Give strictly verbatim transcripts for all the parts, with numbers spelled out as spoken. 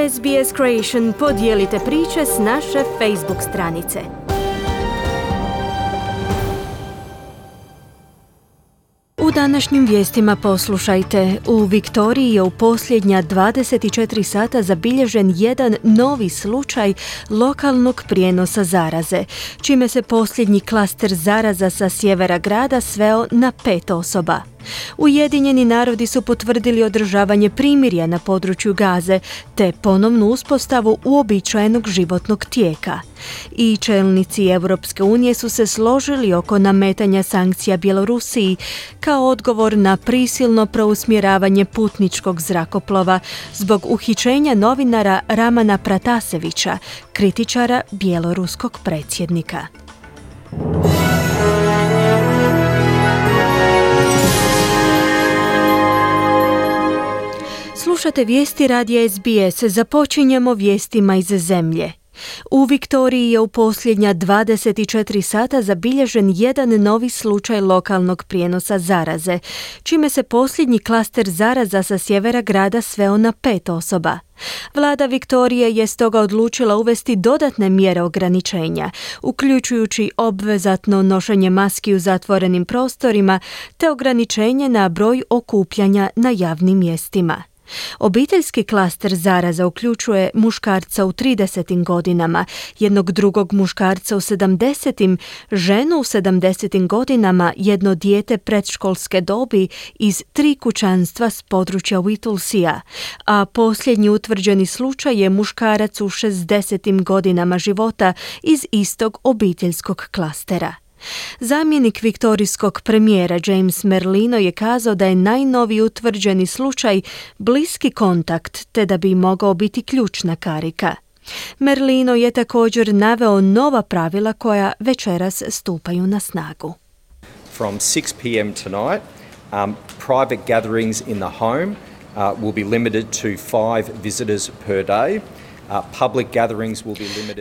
S B S Creation, podijelite priče s naše Facebook stranice. U današnjim vijestima poslušajte. U Viktoriji je u posljednja dvadeset četiri sata zabilježen jedan novi slučaj lokalnog prijenosa zaraze, čime se posljednji klaster zaraza sa sjevera grada sveo na pet osoba. Ujedinjeni narodi su potvrdili održavanje primirja na području Gaze te ponovnu uspostavu uobičajenog životnog tijeka. I čelnici Europske unije su se složili oko nametanja sankcija Bjelorusiji kao odgovor na prisilno preusmjeravanje putničkog zrakoplova zbog uhićenja novinara Ramana Pratasevića, kritičara bjeloruskog predsjednika. Slušate vijesti radija S B S. Započinjemo vijestima iz zemlje. U Viktoriji je u posljednja dvadeset četiri sata zabilježen jedan novi slučaj lokalnog prijenosa zaraze, čime se posljednji klaster zaraza sa sjevera grada sveo na pet osoba. Vlada Viktorije je stoga odlučila uvesti dodatne mjere ograničenja, uključujući obvezatno nošenje maski u zatvorenim prostorima te ograničenje na broj okupljanja na javnim mjestima. Obiteljski klaster zaraza uključuje muškarca u tridesetim godinama, jednog drugog muškarca u sedamdesetim, ženu u sedamdesetim godinama, jedno dijete predškolske dobi iz tri kućanstva s područja Whittlesea, a posljednji utvrđeni slučaj je muškarac u šezdesetim godinama života iz istog obiteljskog klastera. Zamjenik viktorijskog premijera James Merlino je kazao da je najnoviji utvrđeni slučaj bliski kontakt te da bi mogao biti ključna karika. Merlino je također naveo nova pravila koja večeras stupaju na snagu. From six p m tonight, um, private gatherings in the home uh, will be limited to five visitors per day.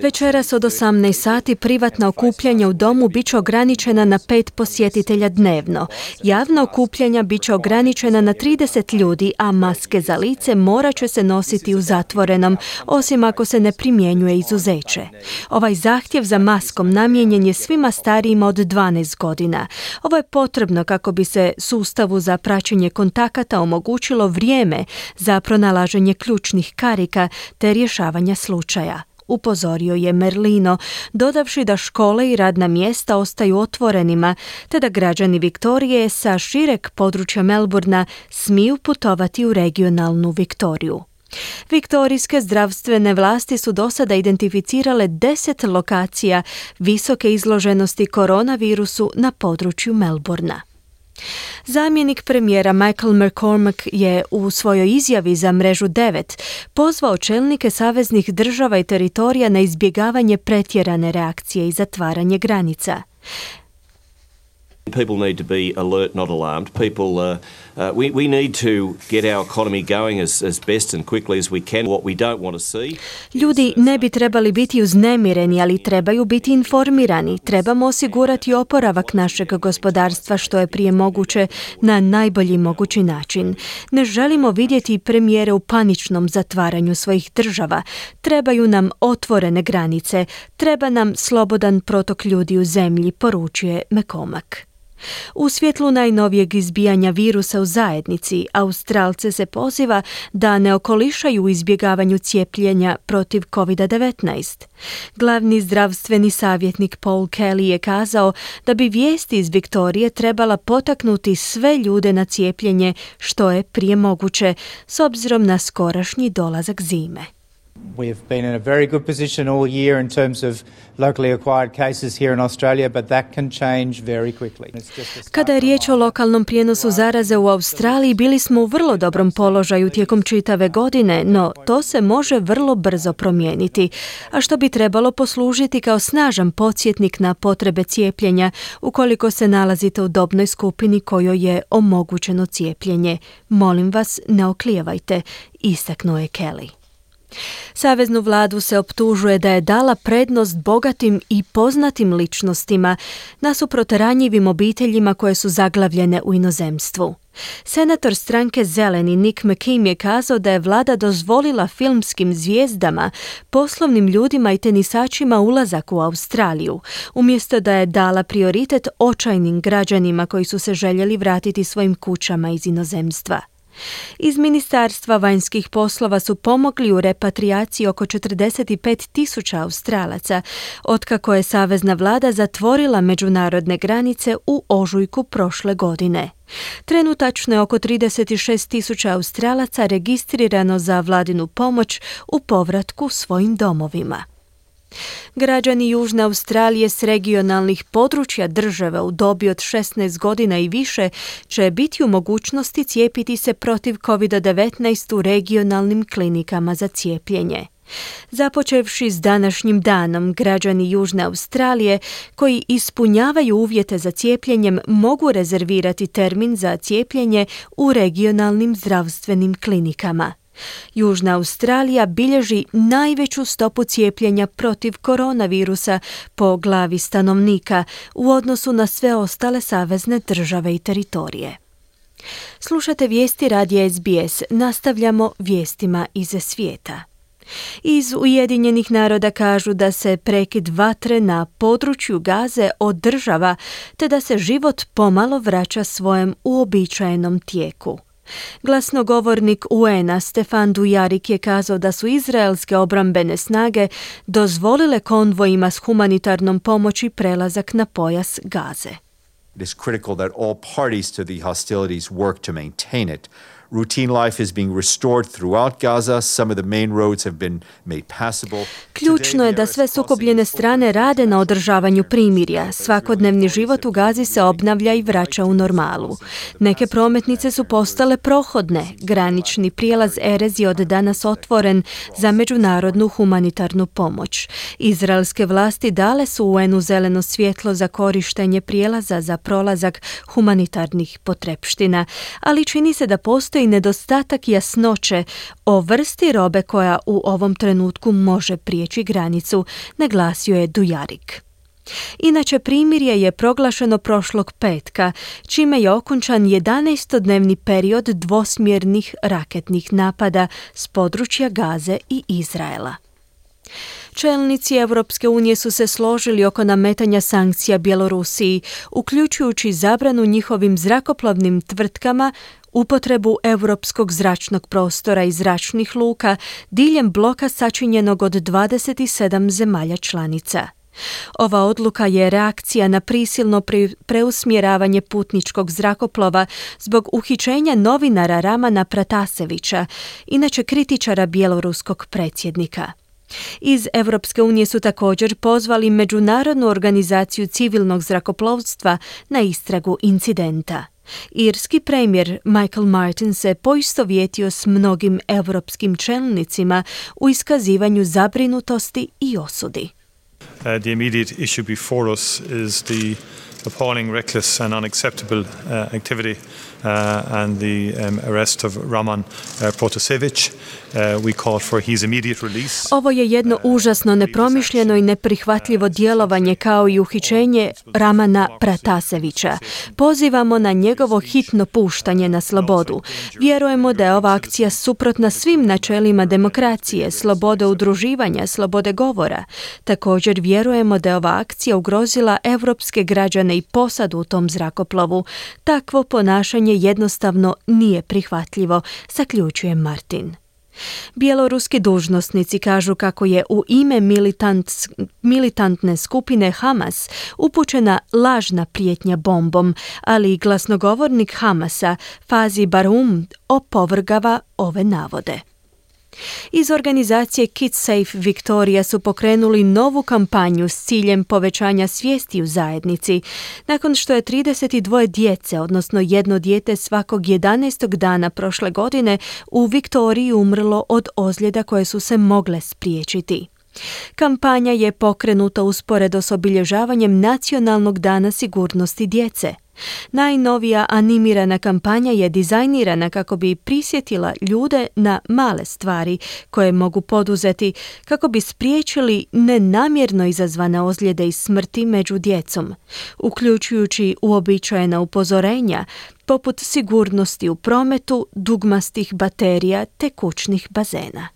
Večeras od osamnaest sati privatna okupljanja u domu bit će ograničena na pet posjetitelja dnevno. Javna okupljanja bit će ograničena na trideset ljudi, a maske za lice morat će se nositi u zatvorenom, osim ako se ne primjenjuje izuzeće. Ovaj zahtjev za maskom namijenjen je svima starijima od dvanaest godina. Ovo je potrebno kako bi se sustavu za praćenje kontakata omogućilo vrijeme za pronalaženje ključnih karika te rješavanje slučaja, upozorio je Merlino, dodavši da škole i radna mjesta ostaju otvorenima, te da građani Viktorije sa šireg područja Melbourna smiju putovati u regionalnu Viktoriju. Viktorijske zdravstvene vlasti su do sada identificirale deset lokacija visoke izloženosti koronavirusu na području Melbourna. Zamjenik premijera Michael McCormack je u svojoj izjavi za mrežu devet pozvao čelnike saveznih država i teritorija na izbjegavanje pretjerane reakcije i zatvaranje granica. People need to be alert, not alarmed. People, uh, uh, we, we need to get our economy going as, as best and quickly as we can. What we don't want to see. Ljudi ne bi trebali biti uznemireni, ali trebaju biti informirani. Trebamo osigurati oporavak našeg gospodarstva što je prije moguće na najbolji mogući način. Ne želimo vidjeti premijere u paničnom zatvaranju svojih država. Trebaju nam otvorene granice. Treba nam slobodan protok ljudi u zemlji, poručuje McCormack. U svjetlu najnovijeg izbijanja virusa u zajednici, Australce se poziva da ne okolišaju u izbjegavanju cijepljenja protiv covid devetnaest. Glavni zdravstveni savjetnik Paul Kelly je kazao da bi vijesti iz Viktorije trebala potaknuti sve ljude na cijepljenje što je prije moguće, s obzirom na skorašnji dolazak zime. We've been in a very good position all year in terms of locally acquired cases here in Australia, but that can change very quickly. Kada je riječ o lokalnom prijenosu zaraze u Australiji, bili smo u vrlo dobrom položaju tijekom čitave godine, no to se može vrlo brzo promijeniti, a što bi trebalo poslužiti kao snažan podsjetnik na potrebe cijepljenja ukoliko se nalazite u dobnoj skupini kojoj je omogućeno cijepljenje. Molim vas, ne oklijevajte, istaknuo je Kelly. Saveznu vladu se optužuje da je dala prednost bogatim i poznatim ličnostima nasuprot ranjivim obiteljima koje su zaglavljene u inozemstvu. Senator stranke Zeleni Nick McKim je kazao da je vlada dozvolila filmskim zvijezdama, poslovnim ljudima i tenisačima ulazak u Australiju, umjesto da je dala prioritet očajnim građanima koji su se željeli vratiti svojim kućama iz inozemstva. Iz Ministarstva vanjskih poslova su pomogli u repatriaciji oko četrdeset pet tisuća Australaca, otkako je savezna vlada zatvorila međunarodne granice u ožujku prošle godine. Trenutačno je oko trideset šest tisuća Australaca registrirano za vladinu pomoć u povratku svojim domovima. Građani Južne Australije s regionalnih područja države u dobi od šesnaest godina i više će biti u mogućnosti cijepiti se protiv kovid devetnaest u regionalnim klinikama za cijepljenje. Započevši s današnjim danom, građani Južne Australije koji ispunjavaju uvjete za cijepljenjem mogu rezervirati termin za cijepljenje u regionalnim zdravstvenim klinikama. Južna Australija bilježi najveću stopu cijepljenja protiv koronavirusa po glavi stanovnika u odnosu na sve ostale savezne države i teritorije. Slušate vijesti radija S B S, nastavljamo vijestima iz svijeta. Iz Ujedinjenih naroda kažu da se prekid vatre na području Gaze održava te da se život pomalo vraća svojem uobičajenom tijeku. Glasnogovornik U N-a Stefan Dujarric je kazao da su izraelske obrambene snage dozvolile konvojima s humanitarnom pomoći prelazak na pojas Gaze. It is critical that all parties to the hostilities work to maintain it. Routine life is being restored throughout Gaza. Some of the main roads have been made passable. Ključno je da sve sukobljene strane rade na održavanju primirja. Svakodnevni život u Gazi se obnavlja i vraća u normalu. Neke prometnice su postale prohodne. Granični prijelaz Erez je od danas otvoren za međunarodnu humanitarnu pomoć. Izraelske vlasti dale su U N-u zeleno svjetlo za korištenje prijelaza za prolazak humanitarnih potrepština, ali čini se da postoji i nedostatak jasnoće o vrsti robe koja u ovom trenutku može prijeći granicu, naglasio je Dujarric. Inače, primirje je proglašeno prošlog petka, čime je okončan jedanaestodnevni period dvosmjernih raketnih napada s područja Gaze i Izraela. Čelnici Europske unije su se složili oko nametanja sankcija Bjelorusiji, uključujući zabranu njihovim zrakoplovnim tvrtkama upotrebu europskog zračnog prostora i zračnih luka diljem bloka sačinjenog od dvadeset sedam zemalja članica. Ova odluka je reakcija na prisilno preusmjeravanje putničkog zrakoplova zbog uhićenja novinara Ramana Pratasevića, inače kritičara bjeloruskog predsjednika. Iz Europske unije su također pozvali Međunarodnu organizaciju civilnog zrakoplovstva na istragu incidenta. Irski premijer Michael Martin se poistovjetio s mnogim europskim čelnicima u iskazivanju zabrinutosti i osudi. Uh, the immediate issue before us is the appalling, reckless and unacceptable uh, activity uh, and the um, arrest of Raman uh, Protasevich. Uh, we call for his immediate release. Ovo je jedno užasno, nepromišljeno i neprihvatljivo djelovanje kao i uhićenje Ramana Pratasevića. Pozivamo na njegovo hitno puštanje na slobodu. Vjerujemo da je ova akcija suprotna svim načelima demokracije, slobode udruživanja, slobode govora. Također vjerujemo da je ova akcija ugrozila evropske građane i posadu u tom zrakoplovu. Takvo ponašanje jednostavno nije prihvatljivo, zaključuje Martin. Bjeloruski dužnosnici kažu kako je u ime militant, militantne skupine Hamas upućena lažna prijetnja bombom, ali i glasnogovornik Hamasa Fazi Barum opovrgava ove navode. Iz organizacije Kids Safe Victoria su pokrenuli novu kampanju s ciljem povećanja svijesti u zajednici, nakon što je trideset dvije djece, odnosno jedno dijete svakog jedanaestog dana prošle godine u Viktoriji umrlo od ozljeda koje su se mogle spriječiti. Kampanja je pokrenuta usporedo s obilježavanjem Nacionalnog dana sigurnosti djece. Najnovija animirana kampanja je dizajnirana kako bi prisjetila ljude na male stvari koje mogu poduzeti kako bi spriječili nenamjerno izazvane ozljede i smrti među djecom, uključujući uobičajena upozorenja poput sigurnosti u prometu, dugmastih baterija te kućnih bazena.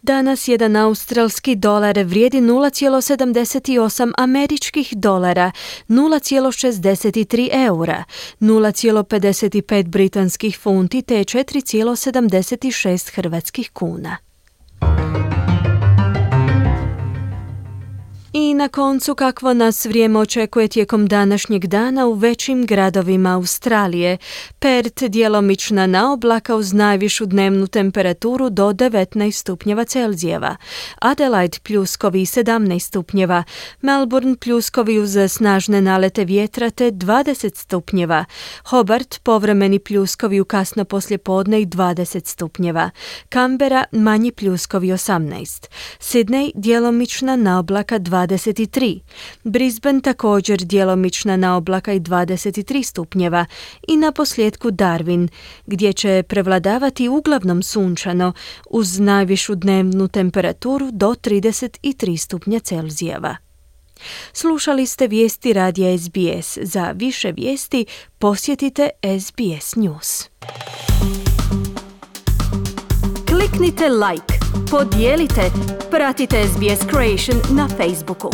Danas jedan australski dolar vrijedi nula zarez sedamdeset osam američkih dolara, nula zarez šezdeset tri eura, nula zarez pedeset pet britanskih funti te četiri zarez sedamdeset šest hrvatskih kuna. I na koncu kakvo nas vrijeme očekuje tijekom današnjeg dana u većim gradovima Australije. Perth djelomična naoblaka uz najvišu dnevnu temperaturu do devetnaest stupnjeva Celzijeva. Adelaide pljuskovi sedamnaest stupnjeva. Melbourne pljuskovi uz snažne nalete vjetra te dvadeset stupnjeva. Hobart povremeni pljuskovi u kasno poslijepodne i dvadeset stupnjeva. Canberra manji pljuskovi osamnaest. Sydney djelomična naoblaka dvadeset tri. Brisbane također djelomična naoblaka i dvadeset tri stupnjeva i na posljedku Darwin, gdje će prevladavati uglavnom sunčano uz najvišu dnevnu temperaturu do trideset tri stupnja Celzijeva. Slušali ste vijesti radija S B S. Za više vijesti posjetite S B S News. Kliknite like, podijelite, pratite S B S Creation na Facebooku.